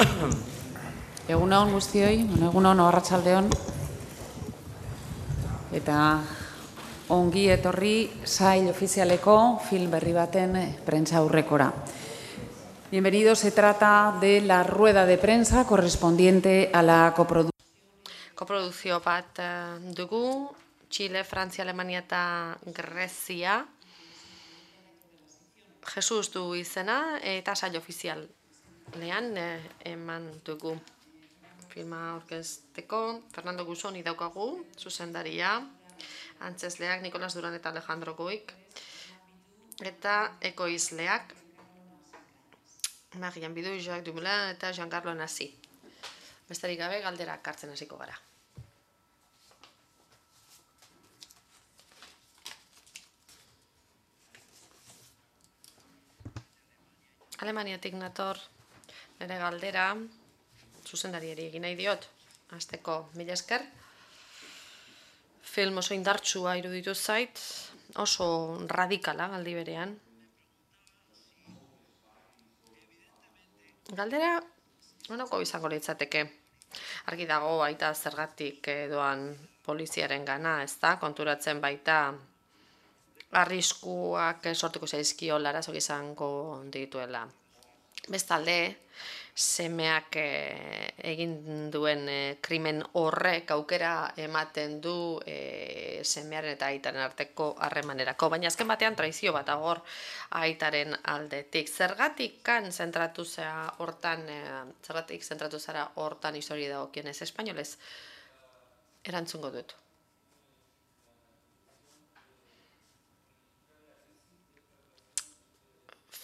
Egunon guztioi, egunon arratsaldeon, eta ongi etorri sail ofizialeko film berri baten prentsa aurrekora. Bienvenidos, se trata de la rueda de prensa correspondiente a la coproducción. Koprodukzio bat dugu, Txile, Frantzia, Alemania eta Grezia. Jesus du izena eta sail ofizialean eman dugu. Filma aurkezteko Fernando Gusoni daukagu, zuzendaria, antzezleak Nikolas Duran eta Alejandro Goik, eta ekoizleak Marian Bidu, Jacques Dumoulin eta Giancarlo Nasi. Besterik gabe galderak hartzen hasiko gara. Alemaniatik nator nire galdera, zuzendariari egin nahi diot, hasteko mila esker. Film oso indartsua iruditu zait, oso radikala aldi berean. Galdera, honako izango litzateke. Argi dago baita zergatik doan poliziaren gana, ez da, konturatzen baita arriskuak sortuko zaizkiola arazoak izango dituela. Bestalde, semeak egin duen krimen horrek aukera ematen du semearen eta aitaren arteko harremanerako, baina azken batean traizio bat agor aitaren aldetik. Zergatik zentratu zara hortan histori dagokionez, espainolez erantzungo dut.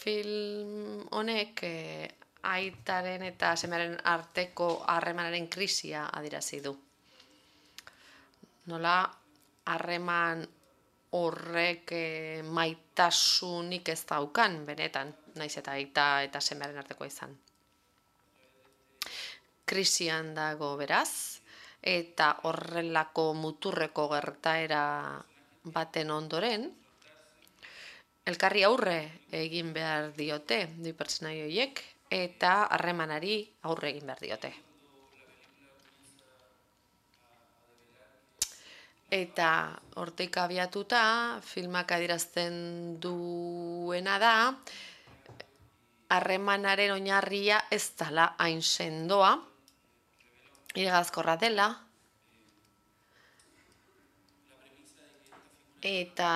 Film honek aitaren eta semearen arteko harremanaren krisia adierazi du. Nola harreman horrek maitasunik ez daukan benetan, naiz eta aita eta semearen artekoa izan. Krisian dago beraz, eta horrelako muturreko gertaera baten ondoren, elkarri aurre egin behar diote, bi pertsonai horiek, eta harremanari aurre egin behar diote. Eta hortik abiatuta, filmak adierazten duena da, harremanaren oinarria ez dela hain sendoa, iragazkorra dela, eta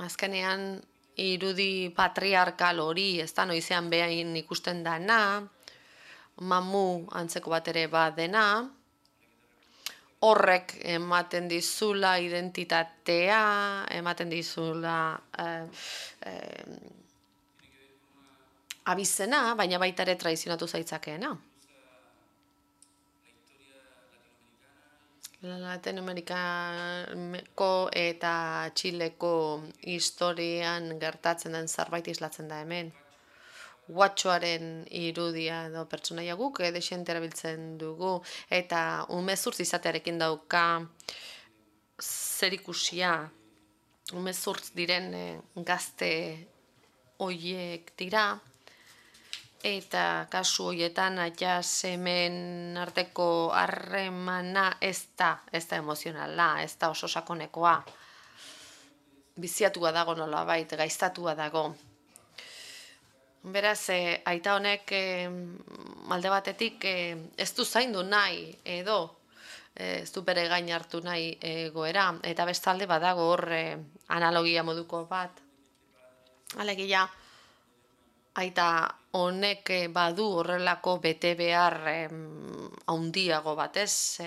azkenean irudi patriarkal hori, ez da noizean behain ikusten dana, mamu antzeko bat ere badena, horrek ematen dizula identitatea, ematen dizula abizena, baina baita ere traizionatu zaitzakeena. Latinoamerikako eta Txileko historian gertatzen den zerbait islatzen da hemen. Guatxoaren irudia edo pertsonaia guk dexente erabiltzen dugu eta umezurtz izatearekin dauka zerikusia. Umezurtz diren gazte hoiek dira. Eta kasu horietan aita semen arteko harremana ez da emozionala, ez da oso sakonekoa. Biziatua dago nolabait, gaiztatua dago. Beraz, aita honek alde batetik ez du zaindu nahi edo ez du bere gain hartu nahi egoera, eta bestalde badago hor analogia moduko bat. Alegia, aita honek badu horrelako bete behar handiago batez,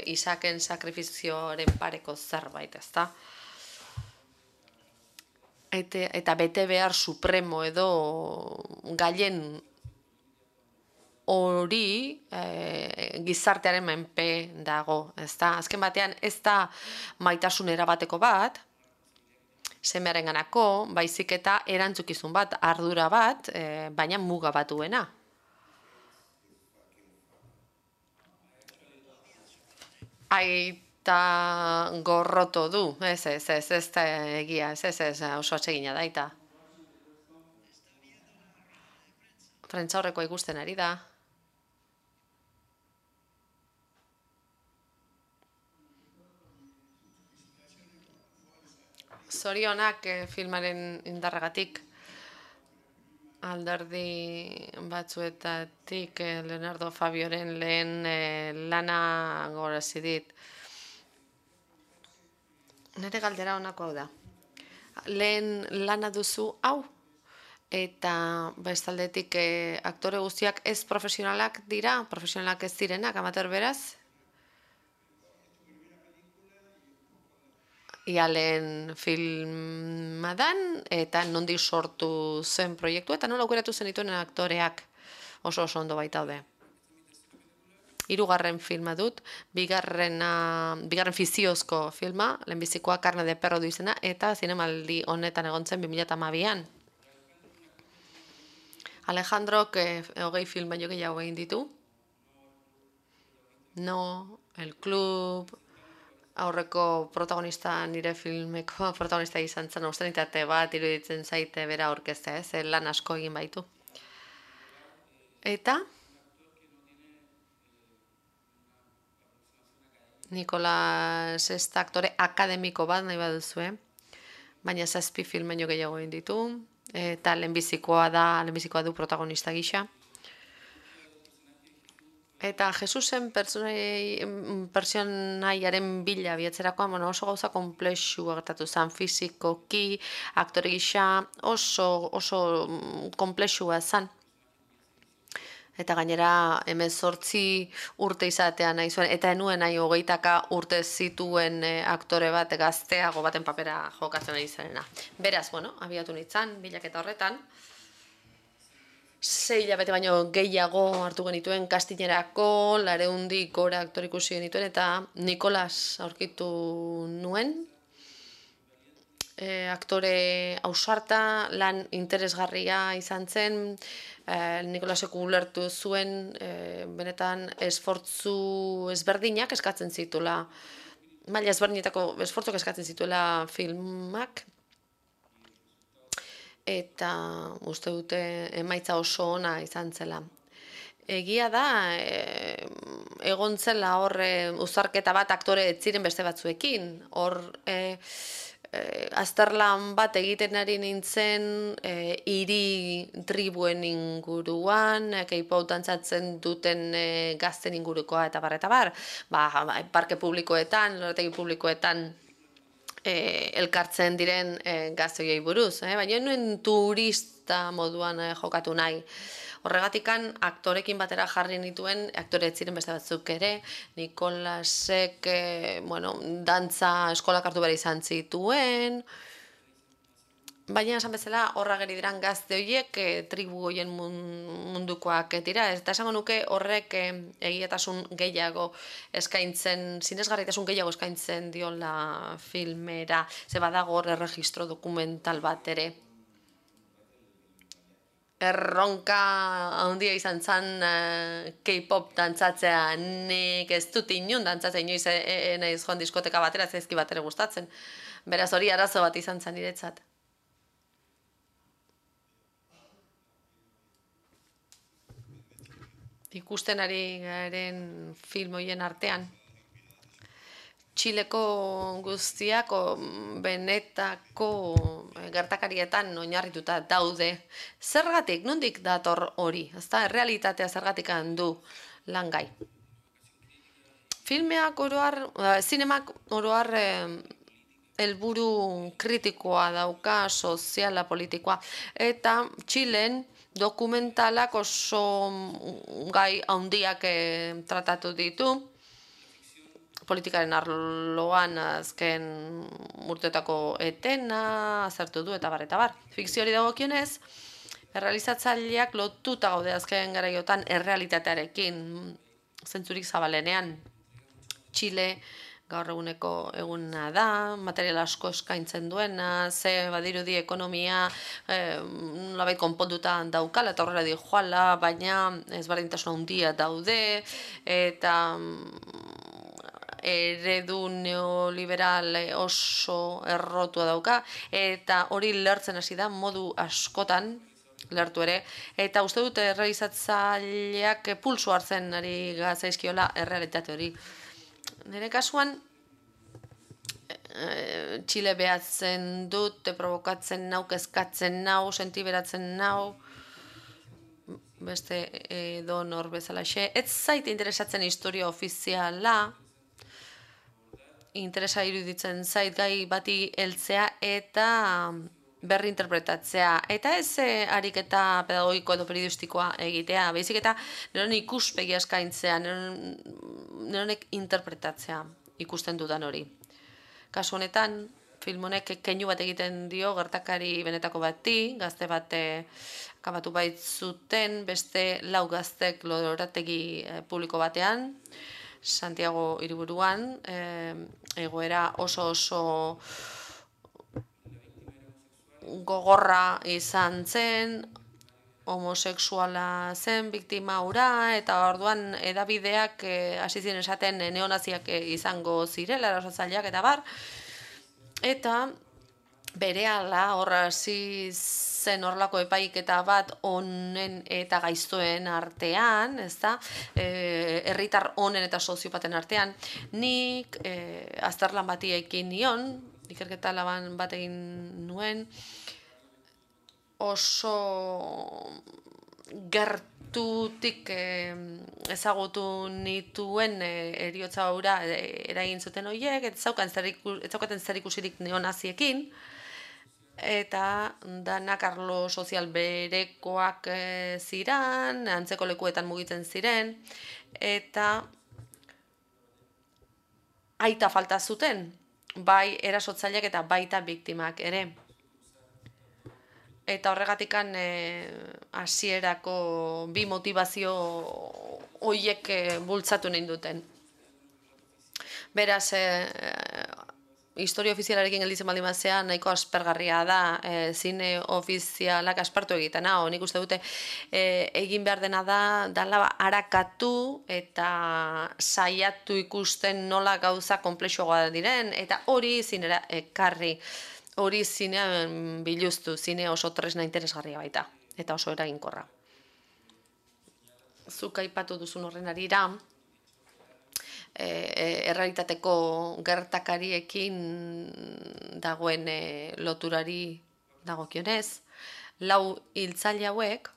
Isaken sakrifizioaren pareko zerbait, ez da? Eta bete behar supremo edo gaien hori gizartearen menpe dago, ez da? Azken batean ez da maitasun erabateko bat, semearen ganako, baizik eta erantzukizun bat, ardura bat, baina muga bat duena. Aita gorroto du, ez da egia, ez oso atsegina da, aita. Prentza horrekoa ikusten ari da. Zorionak filmaren indarragatik. Alderdi batzuetatik Leonardo Fabioren lehen lana gogorazi dit. Nire galdera honako hau da. Lehen lana duzu hau, eta bestaldetik aktore guztiak ez profesionalak dira, profesionalak ez direnak, amateur beraz. Ia lehen filma dan, eta nondik sortu zen proiektu, eta nola aukeratu zen dituen aktoreak oso ondo baitaude. Hirugarren filma dut, bigarren fiziozko filma, lehenbizikoa Carne de Perro du izena, eta zinemaldi honetan egon zen 2012an. Alejandrok 20 film baino gehiago egin ditu. No, El Club, aurreko protagonista nire filmeko protagonista izan zen, obszenitate bat iruditzen zaite bera aurkeztea, lan asko egin baitu. Eta Nicolas ez da aktore akademiko bat nahi baduzue, baina 7 film baino gehiago egin ditu, eta lehenbizikoa du protagonista gisa. Eta Jesusen pertsonaiaren bila biatzerakoan oso gauza konplexu gertatu zen, fizikoki, aktore gisa oso konplexua zen. Eta gainera 18 urte izatea nahi zuen, eta enuen nahi 20 urte zituen aktore bat gazteago baten papera jokatzen ari zarena. Beraz, abiatu nintzen, bilaketa horretan, 6 hilabete baino gehiago hartu genituen kastinerako, 400 gora aktore ikusi genituen, eta Nicolas aurkitu nuen, aktore ausarta, lan interesgarria izan zen, Nicolasek ulertu zuen benetan esfortzu ezberdinak eskatzen zituela, maila ezberdinetako esfortzuk eskatzen zituela filmak, eta uste dute emaitza oso ona izan zela. Egia da, egon zela hor uzarketa bat aktore ez ziren beste batzuekin, hor azterlan bat egiten ari nintzen hiri tribuen inguruan, K-pop dantzatzen duten gazten ingurukoa eta bar. Parke publikoetan, lorategi publikoetan elkartzen diren gazteei buruz, baina nuen turista moduan jokatu nahi. Horregatikan aktorekin batera jarri nituen, aktore ez ziren beste batzuk ere, Nicolasek, dantza eskolak hartu behar izan zituen, baina esan bezala horra geri diran gazte horiek tribu horien mundukoak dira, eta esango nuke horrek egiatasun gehiago eskaintzen, sinesgarritasun gehiago eskaintzen diola filmera, ze badago hor erregistro dokumental bat ere. Erronka handia izan zen K-pop dantzatzea, nik ez dut inun dantzatzea inoiz naiz joan diskoteka batera, zaizki bat ere gustatzen. Beraz hori arazo bat izan zen niretzat. Ikusten ari garen film horien artean, Txileko guztiak benetako gertakarietan oinarrituta daude. Zergatik, nondik dator hori? Ezta, errealitatea zergatik du langai. Filmeak oroar, zinemak oroar helburu kritikoa dauka, soziala, politikoa, eta Txilen dokumentalak oso gai handiak tratatu ditu, politikaren arloan azken urteetako etena azertu du eta bar. Fikzioari dagokionez, errealizatzaileak lotuta gaude azken garaiotan errealitatearekin, zentzurik zabalenean. Txile gaur eguneko eguna da, material asko eskaintzen duena, ze badirudi ekonomia nolabait konponduta daukala eta horrela dijoala, baina ezberdintasun handia daude, eta eredu neoliberal oso errotua dauka, eta hori lertzen hasi da modu askotan, lertu ere, eta uste dute errealizatzaileak pulso hartzen ari zaizkiola errealitate hori. Nire kasuan, Txile behatzen dut, provokatzen nau, kezkatzen nau, sentiberatzen nau, beste edo nor bezalaxe. Ez zait interesatzen historia ofiziala, interesa iruditzen zait gai bati heltzea eta berri interpretatzea. Eta ez ariketa pedagogiko edo periodistikoa egitea, baizik eta neronek ikuspegia eskaintzea, neronek interpretatzea ikusten dudan hori. Kasu honetan, film honek keinu bat egiten dio gertakari benetako bati, gazte bat akabatu baitzuten, beste 4 gaztek lorategi publiko batean, Santiago hiriburuan, egoera oso gogorra izan zen, homosexuala zen biktima hura, eta orduan edabideak hasi ziren esaten neonaziak izango zirela, erasotzaileak eta bar, eta berehala horra hasi zen horlako epaiketa bat onen eta gaiztoen artean, ezta? Herritar onen eta soziopaten artean, nik azterlan bati ekin nion, ikerketa laban bat egin nuen, oso gertutik ezagutu nituen heriotza hura eragin zuten horiek, ez zaukaten zer ikusirik neonaziekin, eta danak arlo sozial berekoak ziren, antzeko lekuetan mugitzen ziren, eta aita falta zuten, bai erasotzaileak eta baita biktimak ere. Eta horregatikan hasierako bi motivazio horiek bultzatu nahi duten. Beraz, historia ofizialarekin gelditzen baldin bazea nahiko aspergarria da, zine ofizialak aspertu egiten, nik uste dute egin behar dena da arakatu eta saiatu ikusten nola gauza konplexuagoa diren, eta hori zinera ekarri. Hori zinean biluztu, zine oso tresna interesgarria baita, eta oso eraginkorra. Zuk aipatu duzun horren arira, errealitateko gertakariekin dagoen loturari dagokionez, 4 hiltzaile hauek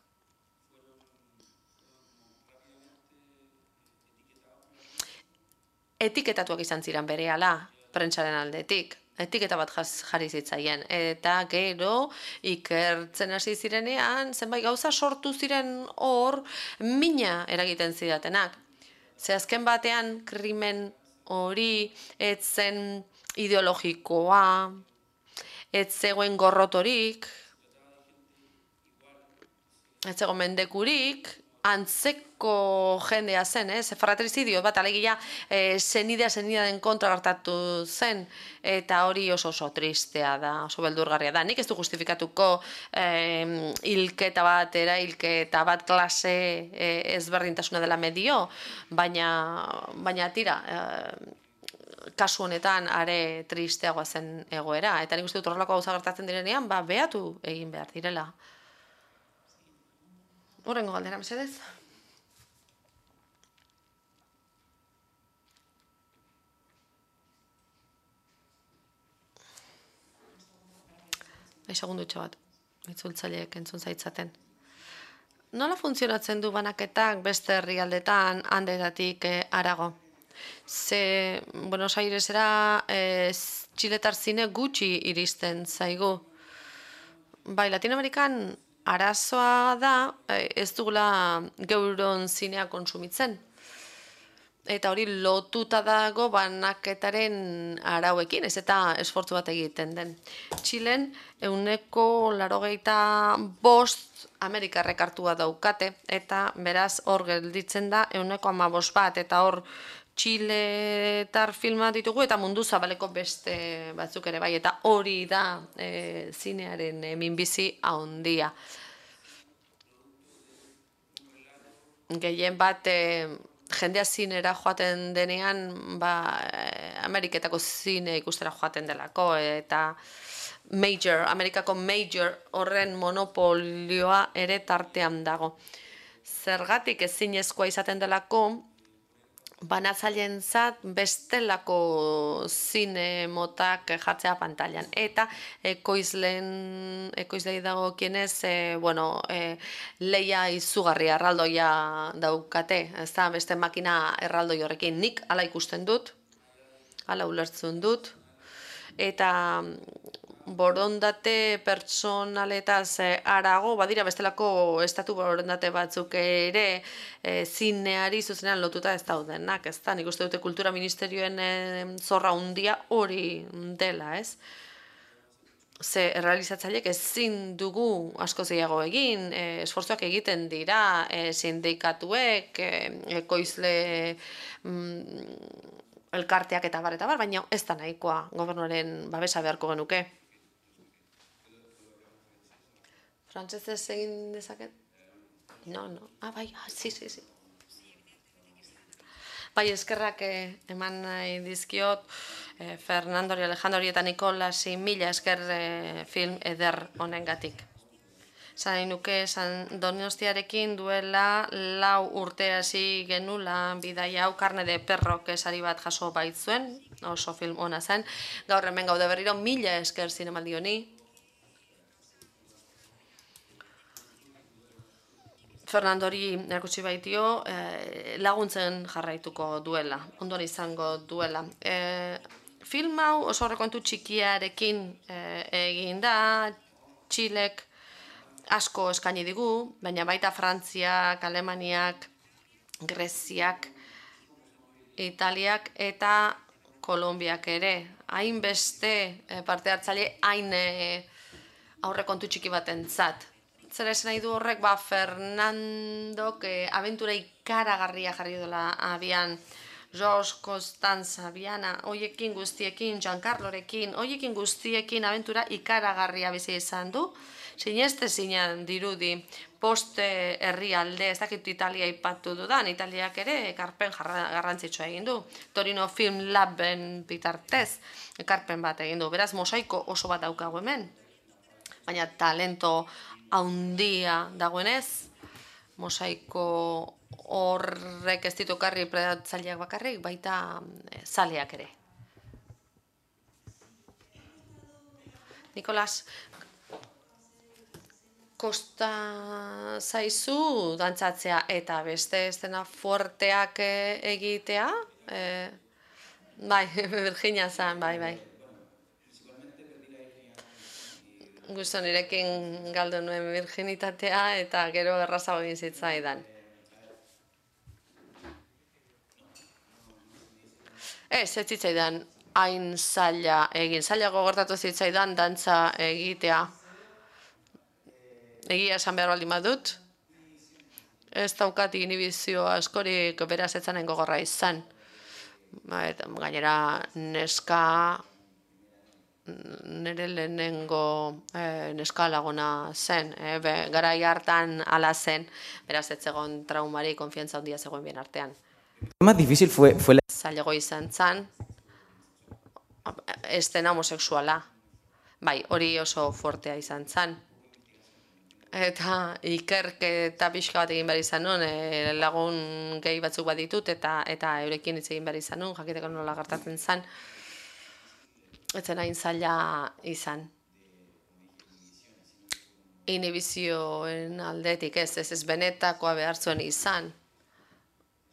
etiketatuak izan ziren berehala prentsaren aldetik. Etiketa bat jarri zitzaien, eta gero ikertzen hasi zirenean, zenbait gauza sortu ziren hor mina eragiten zidatenak. Ze azken batean krimen hori ez zen ideologikoa, ez zegoen gorrotorik, ez zegoen mendekurik, antzeko jendea zen, fratrizidio bat alegia senidea den kontra gertatu zen, eta hori oso tristea da, oso beldurgarria da. Nik ez du justifikatuko hilketa bat klase ezberdintasuna dela medio, baina tira, kasu honetan are tristeagoa zen egoera, eta nik uste dut horrelako gauza gertatzen direnean, behatu egin behar direla. Horrengo galdera, mesedez. Segundutxo bat, itzultzaileek entzun zaitzaten. Nola funtzionatzen du banaketak beste herrialdetan handetatik harago? Ze Buenos Airesera txiletar zine gutxi iristen zaigu. Bai, Latinoamerikan arazoa da ez dugula geuron zinea kontsumitzen. Eta hori lotuta dago banaketaren arauekin, ez eta esfortzu bat egiten den. Txilen 85% Amerikarrek hartua daukate, eta beraz hor gelditzen da 15% bat, eta hor txiletar filma ditugu eta mundu zabaleko beste batzuk ere bai, eta hori da zinearen minbizi handia. Gehien bat jendea zinera joaten denean, Ameriketako zine ikustera joaten delako, eta Amerikako major horren monopolioa ere tartean dago. Zergatik ezinezkoa izaten delako, banatzaileentzat bestelako zine motak jartzea pantailan. Eta ekoizlei dagokienez, leia izugarria erraldoia daukate, ez da, beste makina erraldoi horrekin nik hala ikusten dut, hala ulertzen dut, eta borondate pertsonaletaz harago, badira bestelako estatu borondate batzuk ere zineari zuzenean lotuta ez daudenak, ez da, nik uste dute kultura ministerioen zorra handia hori dela, ez? Ze errealizatzaileek ezin dugu asko gehiago egin, esfortzuak egiten dira, sindikatuek, ekoizle elkarteak eta bar, baina ez da nahikoa gobernuaren babesa beharko genuke. Frantsesez egin dezaket? No. Bai, sí. Bai, eskerrak eman nahi dizkiot Fernandori, Alejandori eta Nikolasi mila esker film eder honengatik. Zan nuke Donostiarekin duela 4 urte hasi genula bidaia hau Carne de Perro sari bat jaso baitzuen, oso film ona zen. Gaur hemen gaude berriro, mila esker zinemaldi honi. Fernandori erakutsi baitio laguntzen jarraituko duela, ondoan izango duela. Film hau oso horrekontu txikiarekin egin da, Txilek asko eskaini digu, baina baita Frantziak, Alemaniak, Greziak, Italiak eta Kolonbiak ere. Hainbeste parte hartzaile hain aurrekontu txiki batentzat. Zer esan nahi du horrek, Fernandok abentura ikaragarria jarri dela abian, George Costanza, Biana, hoiekin guztiekin, Giancarlorekin, hoiekin guztiekin abentura ikaragarria bizi izan du. Sinestezinean dirudi poste herrialde, ez dakit Italia ipatu dudan, Italiak ere ekarpen garrantzitsua egin du. Torino Film Laben bitartez ekarpen bat egin du. Beraz, mosaiko oso bat daukagu hemen. Baina talento haundia dagoenez, mosaiko horrek ez ditukarri predatzaileak bakarrik, baita zaleak ere. Nikolas, kosta zaizu dantzatzea eta beste estena fuerteak egitea? Bai, Virginia zan, bai. Gusto nirekin galdu nuen virginitatea eta gero errazago egin zitzaidan. Ez zitzaidan hain zaila egin. Zailago gertatu zitzaidan dantza egitea. Egia esan behar baldin badut. Ez daukat inhibizio askorik beraz etzanen gogorra izan. Gainera neska nire lehenengo neska laguna zen, garai hartan ala zen, beraz ez zegoen traumari, konfiantza handia zegoen bien artean. Más difícil fue la... Zailago izan zen, estena homosexuala, bai, hori oso fuertea izan zen. Eta ikerketa pixka bat egin behar izan nuen, lagun gehi batzuk bat ditut, eta eurekin hitz egin behar izan nuen, jakiteko nola gertatzen zen. Etzen hain zaila izan. Inhibizioen aldetik ez benetakoa behar zuen izan.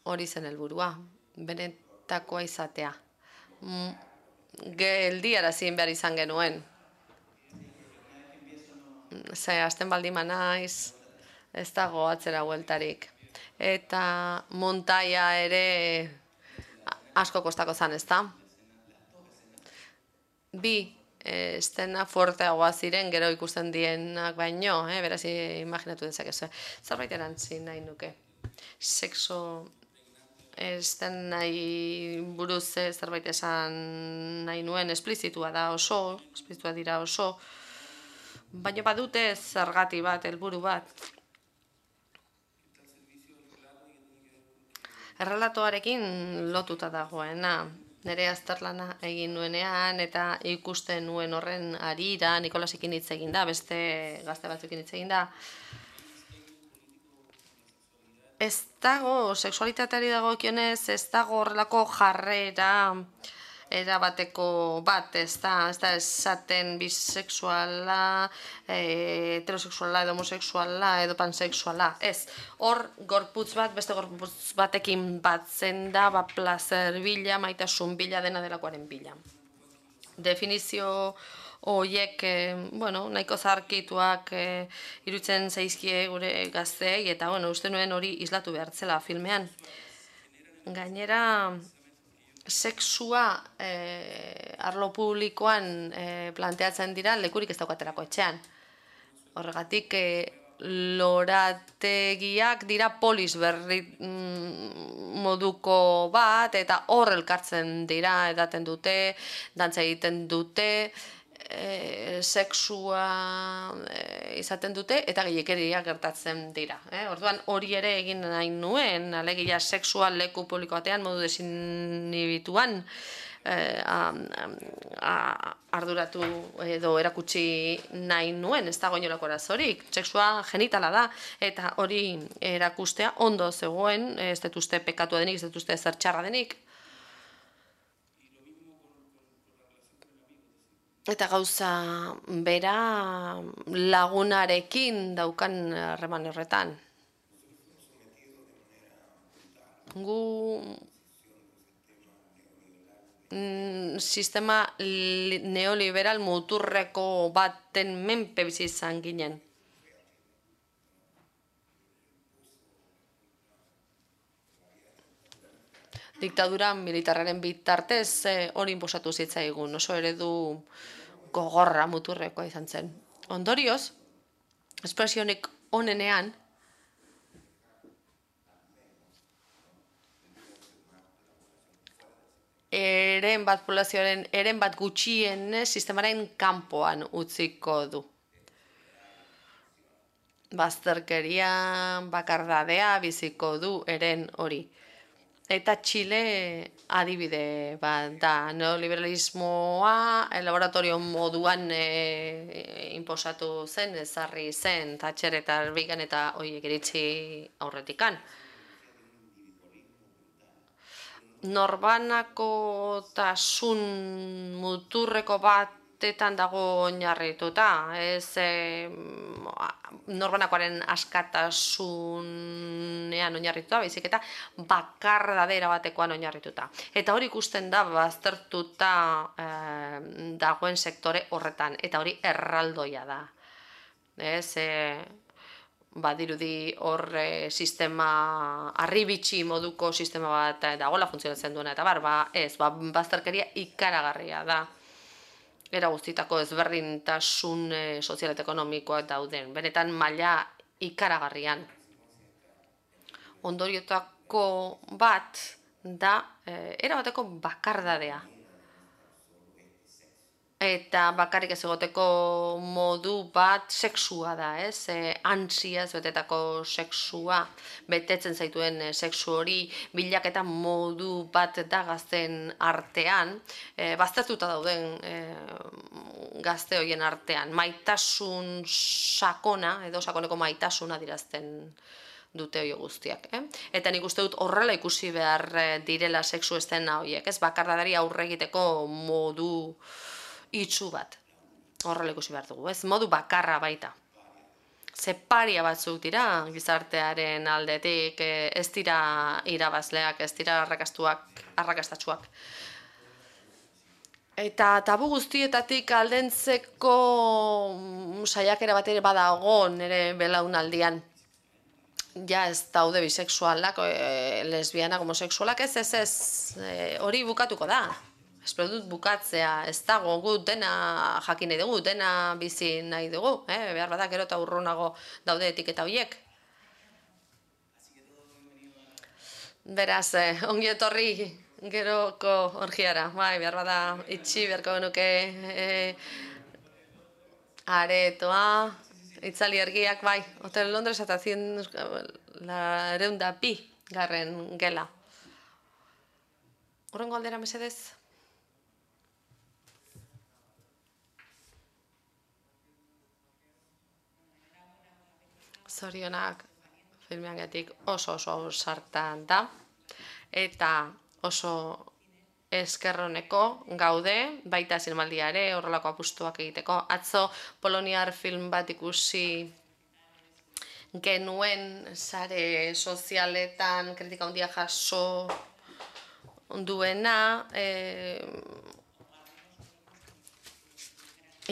Hori zen helburua, benetakoa izatea. Geldiarazin behar izan genuen. Ze, azten baldima naiz, ez dago atzera bueltarik. Eta montaia ere asko kostako zan, ez da? Bi estena fuerteagoa ziren gero ikusten dienak baino, beraz imaginatu dezakezu. Zerbait erantzi nahi nuke. Sexo estenai buruz zerbait esan nahi nuen, esplizitua da oso, esplizitua dira oso, baina badute zergati bat, helburu bat. Errelatoarekin lotuta dagoena. Nire azterlana egin nuenean eta ikusten nuen horren harira, Nikolasekin hitz egin da, beste gazte batzuekin hitz egin da. ez dago, sexualitateari dagokionez, ez dago horrelako jarrera erabateko bat, ez da esaten bisexuala, heterosexuala edo homosexuala edo pansexuala, ez. Hor gorputz bat, beste gorputz batekin batzen da, plazer bila, maitasun bila, dena delakoaren bila. Definizio horiek, nahiko zarkituak irutzen zaizkie gure gazteei, eta uste nuen hori islatu behartzela filmean. Gainera, sexua arlo publikoan planteatzen dira lekurik ez daukaterako etxean. Horregatik, lorategiak dira polis berri moduko bat, eta hor elkartzen dira, edaten dute, dantza egiten dute, sexua izaten dute, eta gehiakeria gertatzen dira. Orduan hori ere egin nahi nuen, alegia sexua leku publiko batean modu desinhibituan arduratu edo erakutsi nahi nuen, ez dago inolako arazorik. Sexua genitala da, eta hori erakustea ondo zegoen, ez dut uste pekatua denik, ez dut uste zer txarra denik. Eta gauza bera lagunarekin daukan harreman horretan. Gu sistema neoliberal muturreko baten menpe bizi izan ginen. Diktadura militarraren bitartez hori inposatu zitzaigun, oso eredu gogorra muturrekoa izan zen. Ondorioz, espresionik onenean, eren bat populazioaren, eren bat gutxien sistemaren kanpoan utziko du. Bazterkeria, bakardadea biziko du eren hori. Eta Txile adibide bat da, neoliberalismoa laboratorio moduan inposatu zen, ezarri zen, Thatcher eta Reagan eta horiek iritsi aurretikan. Norbanakotasun muturreko batetan dago oinarrituta, ez norbanakoaren askatasunean oinarrituta, baizik eta bakardadera batekoan oinarrituta. Eta hori ikusten da baztertuta dagoen sektore horretan, eta hori erraldoia da. Ez, badirudi hor sistema arribitxi moduko sistema bat dagoela funtzionatzen duena, eta bazterkeria ikaragarria da. Era guztitako ezberdintasun sozial eta ekonomikoak dauden, benetan maila ikaragarrian. Ondoriotako bat da erabateko bakardadea. Eta bakarrik ez egoteko modu bat sexua da, ez? Antsiaz betetako sexua, betetzen zaituen sexu hori, bilaketa modu bat da gazten artean, baztertuta dauden gazte horien artean, maitasun sakona, edo sakoneko maitasuna dirazten dute hori guztiak. Eta nik uste dut horrela ikusi behar direla sexu estena horiek, ez? Bakardadari aurre egiteko modu itxu bat, horrela ikusi behar dugu, ez? Modu bakarra baita. Paria batzuk dira gizartearen aldetik, ez dira irabazleak, ez dira arrakastatsuak. Eta tabu guztietatik aldentzeko saiakera bat ere badago nire belaunaldian. Ja ez daude bisexualak, lesbianak, homosexualak, ez, hori bukatuko da. Espero dut bukatzea, ez dago gu dena jakin nahi dugu, dena bizi nahi dugu, behar badak gero eta urrunago daude etiketa horiek. Beraz, ongi etorri geroko orgiara, behar bada itxi beharko genuke aretoa, itzali ergiak, Hotel Londres eta 102 garren gela. Horrengo aldera mesedez? Zorionak, filmeangatik oso sartan da, eta oso eskerroneko gaude, baita zinemaldiare horrelako apustuak egiteko. Atzo poloniar film bat ikusi genuen sare sozialetan kritika handia jaso duena,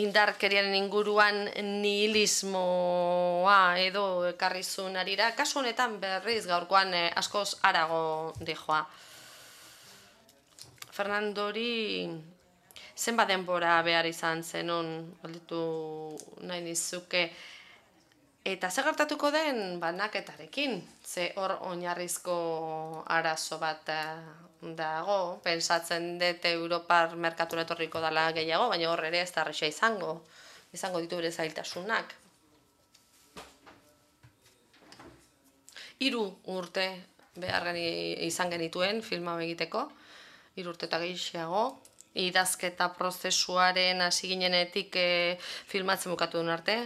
indarkeriaren inguruan nihilismoa edo ekarri zuen arira, kasu honetan berriz gaurkoan askoz harago dijoa. Fernandori zenbat denbora behar izan zenun, galdetu nahi nizuke, eta zer gertatuko den banaketarekin, ze hor oinarrizko arazo bat dago, pentsatzen dut Europar merkatura etorriko dela gehiago, baina hor ere ez da erraza izango ditu bere zailtasunak. 3 urte behar izan genituen filma egiteko, 3 urte eta gehiago, idazketa prozesuaren hasi ginenetik filmatzen bukatu duen arte.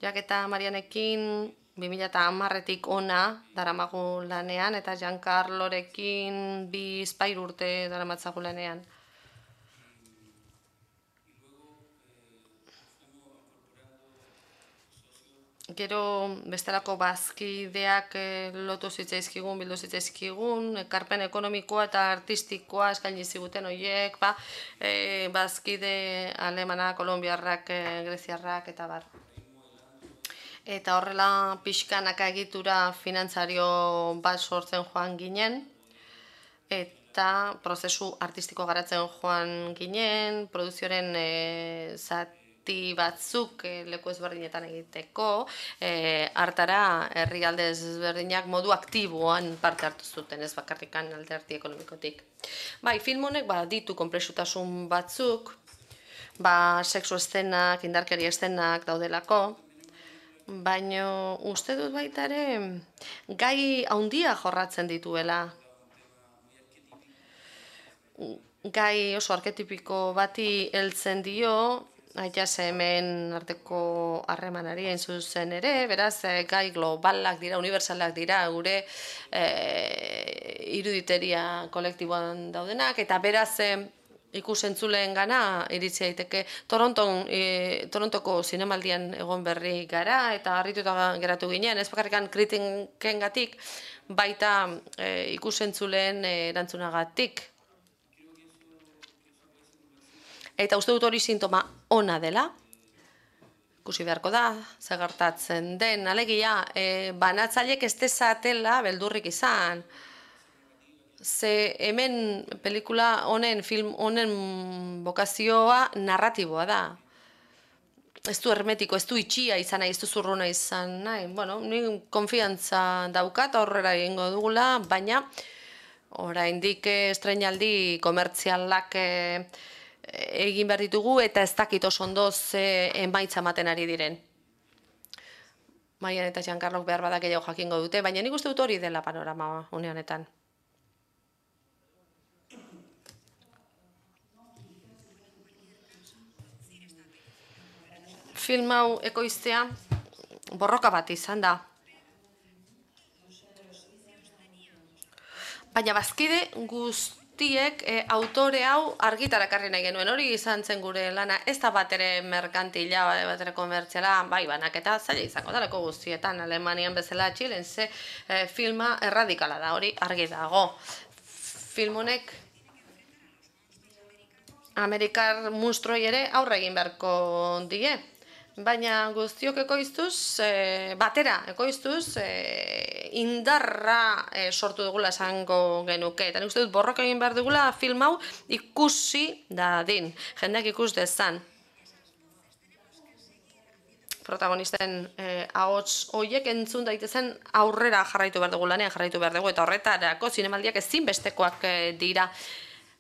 Jak eta Marianekin 2010etik ona daramagu lanean, eta Giancarlorekin 2-3 urte daramatzagu lanean. Gero bestelako bazkideak lotu zitzaizkigun, bildu zitzaizkigun, ekarpen ekonomikoa eta artistikoa eskaini ziguten horiek, bazkide alemanak, kolonbiarrak, greziarrak eta bar. Eta horrela pixkanaka egitura finantzario bat sortzen joan ginen, eta prozesu artistiko garatzen joan ginen, produzioaren zati batzuk leku ezberdinetan egiteko, hartara herrialde ezberdinak modu aktiboan parte hartu zuten, ez bakarrikan alderdi ekonomikotik. Bai, film honek ditu konplexutasun batzuk, sexu eszenak, indarkeria eszenak daudelako, baina uste dut baita ere gai handia jorratzen dituela. Gai oso arketipiko bati heltzen dio, aita hemen arteko harremanari hain zuzen ere, beraz gai globalak dira, unibertsalak dira gure iruditeria kolektiboan daudenak, eta beraz ikusentzuleen gana iritsi daiteke. Torontoko zinemaldian egon berri gara, eta harrituta geratu ginen, ez bakarrikan kritikengatik, baita ikusentzuleen erantzunagatik. Eta uste dut hori sintoma ona dela, ikusi beharko da, zer gertatzen den, alegia, banatzaileek ez dezatela beldurrik izan. Ze hemen pelikula honen, film honen bokazioa narratiboa da. Ez du hermetiko, ez du itxia izan nahi, ez du zurruna izan nahi. Bueno, ni konfiantza daukat aurrera egingo dugula, baina oraindik estreinaldi komertzialak egin behar ditugu, eta ez dakit oso ondo ze emaitza ematen ari diren. Marian eta Giancarlok behar badak gehiago jakingo dute, baina nik uste dut hori dela panorama une honetan. Film hau ekoiztea borroka bat izan da. Baina bazkide guztiek autore hau argitarakarri nahi genuen, hori izan zen gure lana, ez da bat ere merkantila, bat ere komertziala, banaketa zaila izango daleko guztietan, Alemanian bezala Txilen, ze filma erradikala da, hori argi dago. Film honek Amerikar monstruoi ere aurre egin beharko die. Baina guztiok ekoiztuz, batera ekoiztuz, indarra sortu dugula esango genuke. Eta nik uste dut borroka egin behar dugula film hau ikusi dadin, jendeak ikus dezan. Protagonisten ahots horiek entzun daitezen aurrera jarraitu behar dugu, lanean jarraitu behar dugu, eta horretarako zinemaldiak ezinbestekoak dira.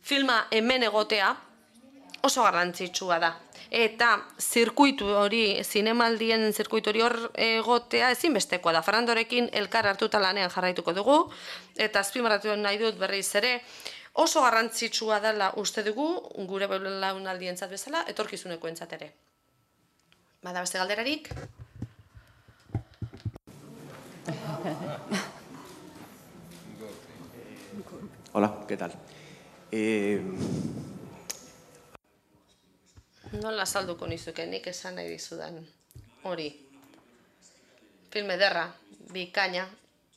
Filma hemen egotea oso garrantzitsua da. Eta zirkuitu hori, zinemaldien zirkuitu hori hor egotea ezinbestekoa da. Fernandorekin elkar hartuta lanean jarraituko dugu, eta azpimarratu nahi dut berriz ere, oso garrantzitsua dela uste dugu, gure belaunaldientzat bezala, etorkizunekoentzat ere. Bada beste galderarik? Hola, ¿qué tal? Nola salduko nizuke nik esan nahi dizudan hori. Film ederra, bikaina,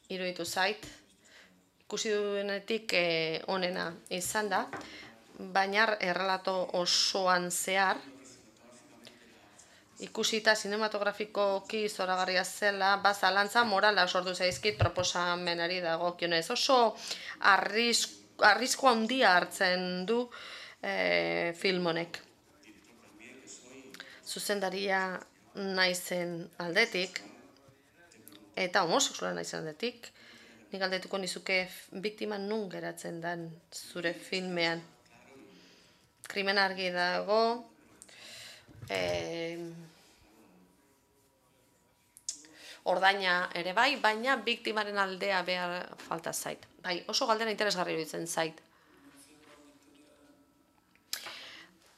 iruditu zait. Ikusi duenetik onena izan da, baina errelato osoan zehar, ikusita sinematografikoki zoragarria zela, zalantza morala sortu zaizkit proposamenari dagokionez. Oso arrisku handia hartzen du film honek. Zuzendaria naizen aldetik, eta homosexuala naizen aldetik, nik galdetuko nizuke biktima nun geratzen den zure filmean. Krimen argi dago, ordaina ere bai, baina biktimaren aldea behar falta zait. Bai, oso galdera interesgarri iruditzen zait.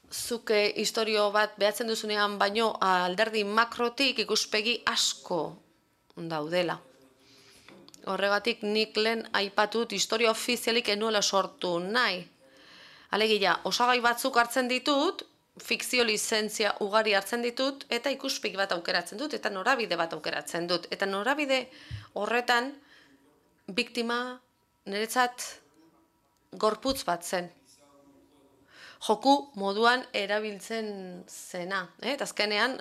Zuk istorio bat behatzen duzunean baino alderdi makrotik ikuspegi asko daudela. Horregatik nik lehen aipatut historia ofizialik enuela sortu nahi. Alegia, osagai batzuk hartzen ditut, fikzio lizentzia ugari hartzen ditut, eta ikuspegi bat aukeratzen dut, eta norabide bat aukeratzen dut. Eta norabide horretan, biktima niretzat gorputz bat zen. Joku moduan erabiltzen zena. Eta azkenean,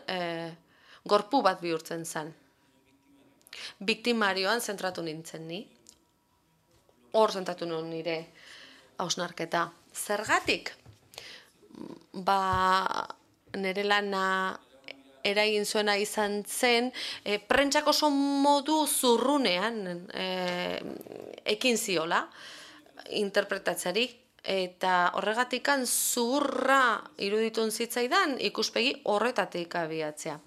gorpu bat bihurtzen zen. Biktimarioan zentratu nintzen ni. Hor zentratu nuen nire hausnarketa. Zergatik? Nire lana eragin zuena izan zen, prentsak oso modu zurrunean ekin ziola interpretatzeari. Eta horregatikan zurra iruditun zitzaidan ikuspegi horretatik abiatzea.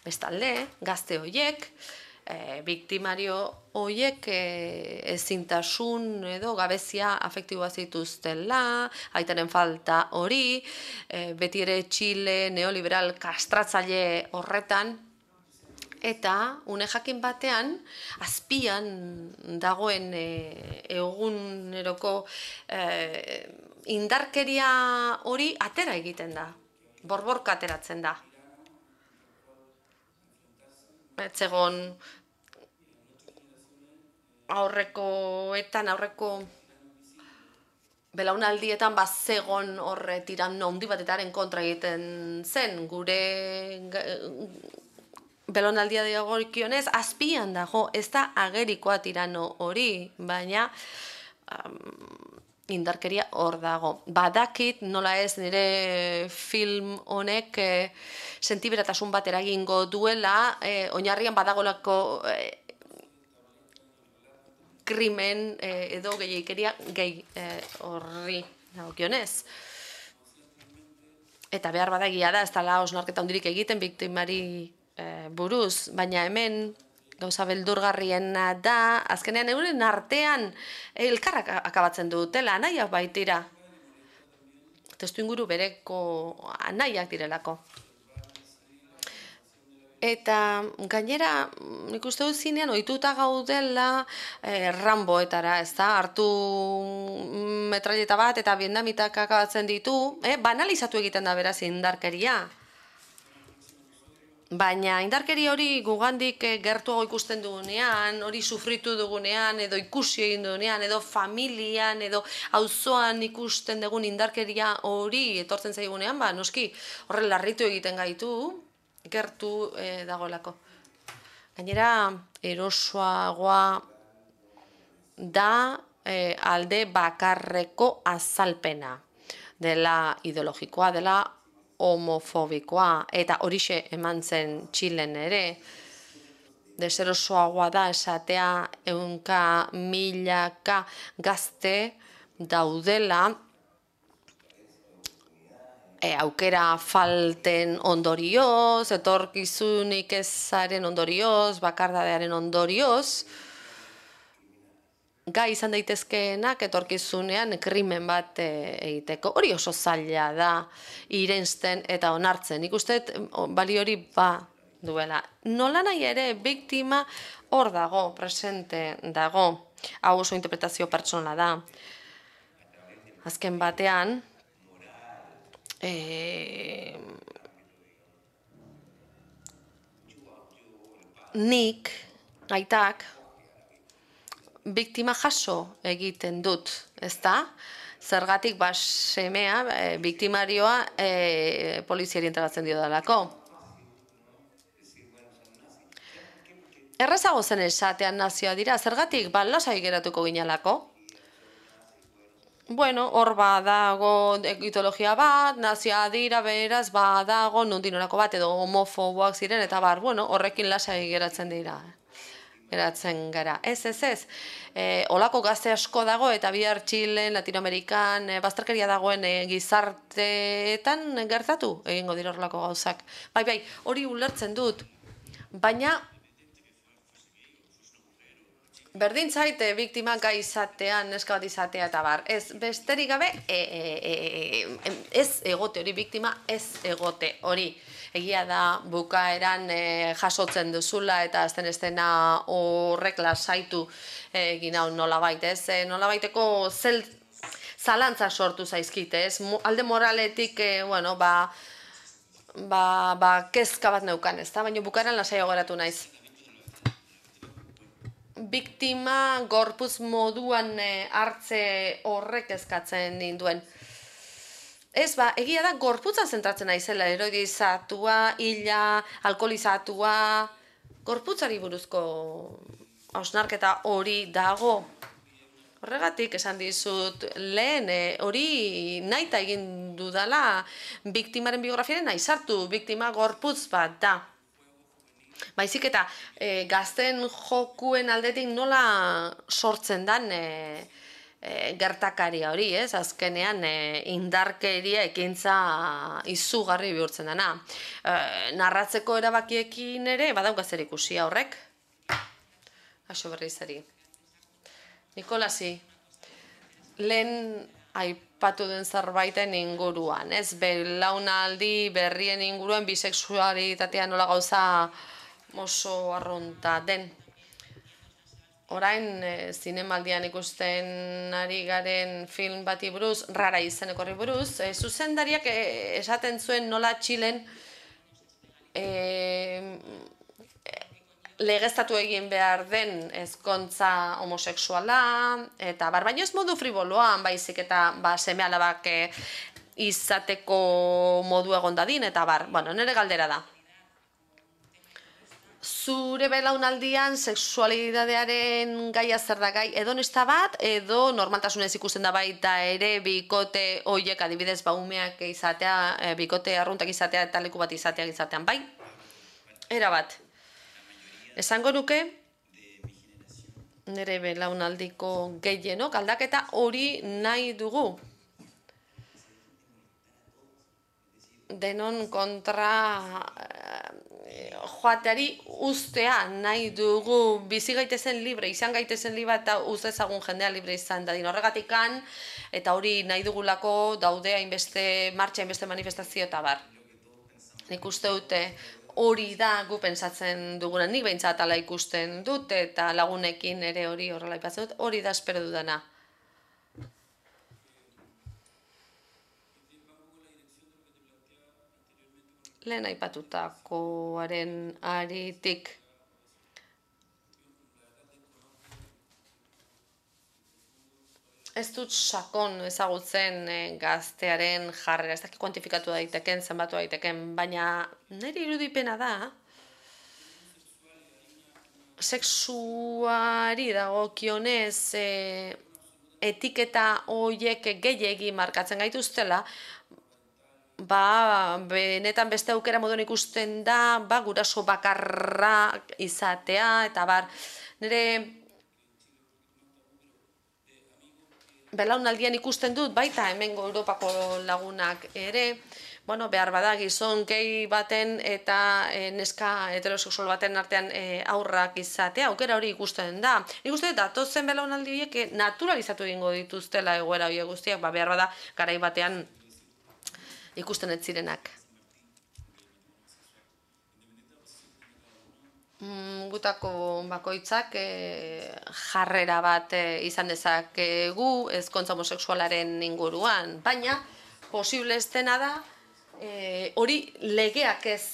Bestalde, gazte horiek, biktimario horiek ezintasun edo gabezia afektiboa zituztela, aitaren falta hori, beti ere Txile neoliberal kastratzaile horretan, eta une jakin batean, azpian dagoen eguneroko indarkeria hori atera egiten da, borborka ateratzen da. Etzegon aurreko belaunaldietan zegon horre tiranno handi batetaren kontra egiten zen, gure belaunaldia dagokionez azpian dago, ez da agerikoa tirano hori, baina indarkeria hor dago. Badakit nola ez nire film honek sentiberatasun bat eragingo duela, oinarrian badagolako krimen edo gehiaikeria gehi horri dagokionez. Eta behar badagia da, ez dela hausnarketa handirik egiten biktimari buruz, baina hemen gauza beldurgarriena da, azkenean euren artean elkarrak akabatzen dutela, anaiak baitira. Testuinguru bereko anaiak direlako. Eta gainera, nik uste dut zinean, ohituta gaudela Ramboetara, ez da, hartu metralleta bat eta vietnamitak akabatzen ditu, banalizatu egiten da beraz indarkeria. Baina indarkeri hori gugandik gertuago ikusten dugunean, hori sufritu dugunean, edo ikusi egin dugunean, edo familian, edo auzoan ikusten dugun indarkeria hori etortzen zaigunean, noski horren larritu egiten gaitu, gertu dagoelako. Gainera, erosoagoa da alde bakarreko azalpena dela ideologikoa, dela homofobikoa, eta horixe eman zen Txilen ere, deserosoagoa da esatea ehunka milaka gazte daudela aukera falten ondorioz, etorkizunik ezaren ondorioz, bakardadearen ondorioz, gai izan daitezkeenak etorkizunean krimen bat egiteko. Hori oso zaila da irensten eta onartzen. Nik uste bali hori duela. Nola nahi ere biktima hor dago, presente dago. Hau oso interpretazio pertsonala da. Azken batean, nik, aitak, biktima jaso egiten dut, ezta? Zergatik semea, biktimarioa poliziari entregatzen dio dalako. Errazago zen esatean nazioa dira, zergatik lasai geratuko ginalako. Bueno, hor badago mitologia bat, nazioa dira, beraz, badago nondinorako bat, edo homofoboak ziren, eta bueno, horrekin lasai geratzen dira. Geratzen gara. Ez. Olako gazte asko dago, eta bihar Txilen, Latinoamerikan, bazterkeria dagoen gizarteetan gertatu egingo dira horrelako gauzak. Bai, hori ulertzen dut, baina berdin zait biktima gai izatean, neska bat izatea eta bar. Ez, besterik gabe, ez egote hori, biktima ez egote hori. Egia da bukaeran jasotzen duzula eta azten estena horrek lasaitu egin hau nolabait, ez? Nolabaiteko zalantza sortu zaizkite, ez? Alde moraletik, bueno, kezka bat neukan, ez da? Baina bukaeran lasaiago geratu naiz. Biktima gorputz moduan hartze horrek eskatzen ninduen. Ez, egia da gorputza zentratzen naizela, eroidizatua, hila, alkoholizatua, gorputzari buruzko hausnarketa hori dago. Horregatik esan dizut lehen, hori nahita egin dudala biktimaren biografiaren nahi sartu, biktima gorputz bat da. Baizik eta gazten jokuen aldetik nola sortzen dan gertakaria hori, ez? Azkenean indarkeria ekintza izugarri bihurtzen dena. Narratzeko erabakiekin ere badauka zer ikusi horrek. Kaixo berrizari. Nikolasi, lehen aipatu den zerbaiten inguruan, ez? Belaunaldi berrien inguruan bisexualitatea nola gauza oso arrunta den. Orain zinemaldian ikusten ari garen film bati buruz, Rara izeneko horri buruz, zuzendariak esaten zuen nola Txilen legeztatu egin behar den ezkontza homosexuala, eta baina ez modu friboloan, baizik eta seme-alabak izateko modu egon dadin, eta bueno, nire galdera da. Zure belaunaldian sexualidadearen gaia zer da gai hedonista bat, edo normaltasunez ikusten da baita ere bikote horiek adibidez umeak izatea, bikote arruntak izatea eta leku bat izatean, bai? Era bat. Esango nuke, nire belaunaldiko gehienok aldaketa hori nahi dugu. Denon kontra joateari ustea nahi dugu, bizi gaitezen libre, izan gaitezen libre eta ustezagun jendea libre izan dadin horregatikan, eta hori nahi dugulako daude hainbeste martxa, hainbeste manifestazio eta bar. Nik uste dute hori da gu pentsatzen duguna, nik behintzat ala ikusten dut, eta lagunekin ere hori horrela ipatzen dut, hori da espero dudana. Lehen aipatutakoaren aritik. Ez dut sakon ezagutzen gaztearen jarrera, ez dakit kuantifikatu daiteken, zenbatu daiteken, baina nire irudipena da, sexuari dagokionez etiketa horiek gehiegi markatzen gaituztela, benetan beste aukera moduan ikusten da, guraso bakarra izatea, eta nire belaunaldian ikusten dut, baita hemengo Europako lagunak ere, bueno, behar bada gizon gehi baten eta neska heterosexual baten artean aurrak izatea, aukera hori ikusten da. Nik uste dut, datozen belaunaldi horiek naturalizatu egingo dituztela egoera horiek guztiak, behar bada garai batean ikusten ez zirenak. gutako bakoitzak jarrera bat izan dezakegu ezkontza homosexualaren inguruan, baina posible ez dena da hori legeak ez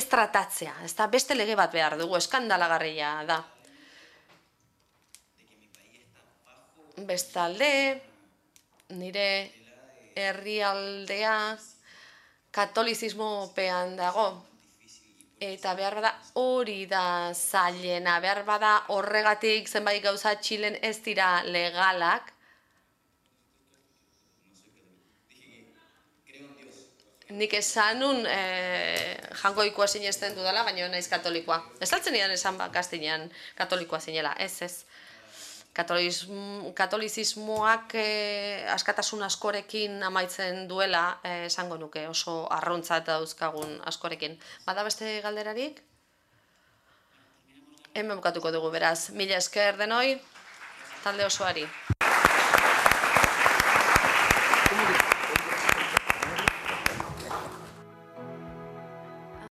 tratatzea, ez da beste lege bat behar dugu, eskandalagarria da. Bestalde, nire herrialdea katolizismopean dago, eta behar bada hori da zailena, behar bada horregatik zenbait gauza Txilen ez dira legalak. Nik esan nun jangoikoa sinesten dudala, baina naiz katolikoa. Ez altzen nidan esan gaztinean katolikoa zinela, ez. Katolizismoak askatasun askorekin amaitzen duela esango nuke, oso arruntzat dauzkagun askorekin. Bada beste galderarik? Hemen bukatuko dugu beraz. Mila esker denoi, talde osoari.